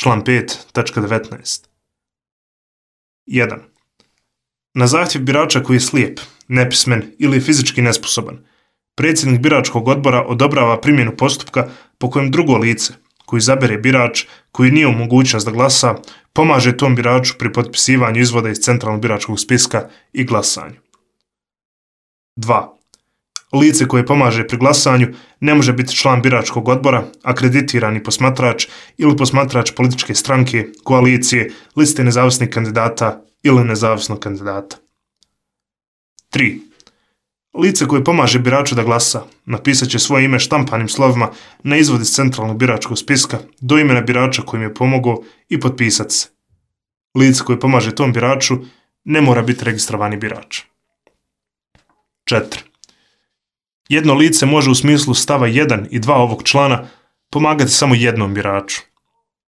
Član 5.19. 1. Na zahtjev birača koji je slijep, nepismen ili fizički nesposoban, predsjednik biračkog odbora odobrava primjenu postupka po kojem drugo lice, koji izabere birač koji nije u mogućnost da glasa, pomaže tom biraču pri potpisivanju izvoda iz centralnog biračkog spiska i glasanju. 2. Lice koje pomaže pri glasanju ne može biti član biračkog odbora, akreditirani posmatrač ili posmatrač političke stranke, koalicije, liste nezavisnih kandidata ili nezavisnog kandidata. 3. Lice koje pomaže biraču da glasa napisat će svoje ime štampanim slovima na izvod iz centralnog biračkog spiska do imena birača kojim je pomogao i potpisat se. Lice koje pomaže tom biraču ne mora biti registrovani birač. 4. Jedno lice može u smislu stava 1 i 2 ovog člana pomagati samo jednom biraču.